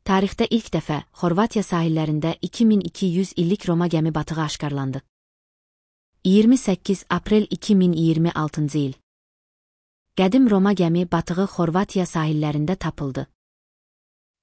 Tarixdə ilk dəfə Xorvatiya sahillərində 2200 illik Roma gəmi batığı aşkarlandı. 28 aprel 2026-cı il. Qədim Roma gəmi batığı Xorvatiya sahillərində tapıldı.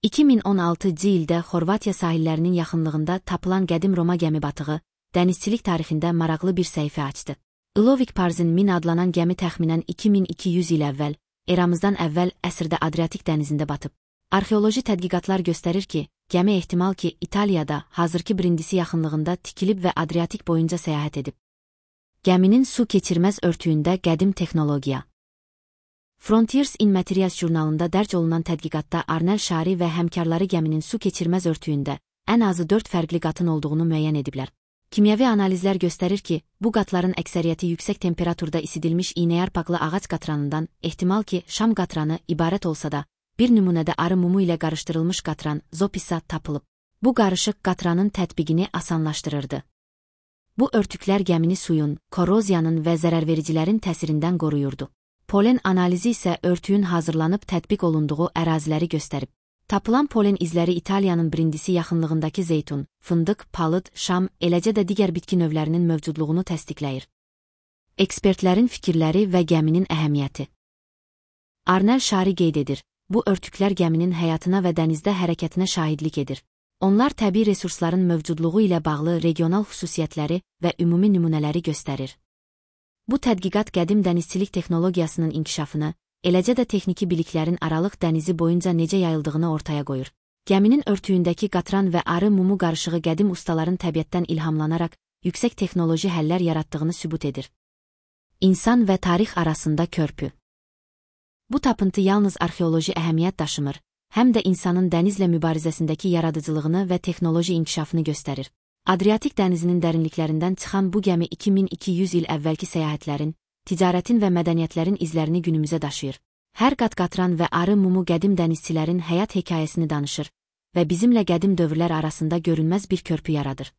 2016-cı ildə Xorvatiya sahillərinin yaxınlığında tapılan qədim Roma gəmi batığı, dənizçilik tarixində maraqlı bir səhifə açdı. Ilovik Parzin min adlanan gəmi təxminən 2200 il əvvəl, eramızdan əvvəl əsrdə Adriatik dənizində batıb. Arxeoloji tədqiqatlar göstərir ki, gəmi ehtimal ki, İtaliyada, hazırki Brindisi yaxınlığında tikilib və Adriatik boyunca səyahət edib. Gəminin su keçirməz örtüyündə qədim texnologiya. Frontiers in Materials jurnalında dərc olunan tədqiqatda Arnel Şari və həmkarları gəminin su keçirməz örtüyündə ən azı 4 fərqli qatın olduğunu müəyyən ediblər. Kimyəvi analizlər göstərir ki, bu qatların əksəriyyəti yüksək temperaturda isidilmiş iynəyarpaqlı ağac qatranından, ehtimal ki, şam qatranı ibarət olsa da, bir nümunədə arı mumu ilə qarışdırılmış qatran, zopisa tapılıb. Bu qarışıq qatranın tətbiqini asanlaşdırırdı. Bu örtüklər gəmini suyun, koroziyanın və zərərvericilərin təsirindən qoruyurdu. Polen analizi isə örtüyün hazırlanıb tətbiq olunduğu əraziləri göstərib. Tapılan polen izləri İtaliyanın Brindisi yaxınlığındakı zeytun, fındıq, palıd, şam, eləcə də digər bitki növlərinin mövcudluğunu təsdiqləyir. Ekspertlərin fikirləri və gəminin əhəmiyyəti. Arnel Şari qeyd edir, bu örtüklər gəminin həyatına və dənizdə hərəkətinə şahidlik edir. Onlar təbii resursların mövcudluğu ilə bağlı regional xüsusiyyətləri və ümumi nümunələri göstərir. Bu tədqiqat qədim dənizçilik texnologiyasının inkişafını, eləcə də texniki biliklərin Aralıq dənizi boyunca necə yayıldığını ortaya qoyur. Gəminin örtüyündəki qatran və arı mumu qarışığı qədim ustaların təbiətdən ilhamlanaraq yüksək texnoloji həllər yaratdığını sübut edir. İnsan və tarix arasında körpü. Bu tapıntı yalnız arxeoloji əhəmiyyət daşımır, həm də insanın dənizlə mübarizəsindəki yaradıcılığını və texnoloji inkişafını göstərir. Adriatik dənizinin dərinliklərindən çıxan bu gəmi 2200 il əvvəlki səyahətlərin, ticarətin və mədəniyyətlərin izlərini günümüzə daşıyır. Hər qat qatran və arı mumu qədim dənizçilərin həyat hekayəsini danışır və bizimlə qədim dövrlər arasında görünməz bir körpü yaradır.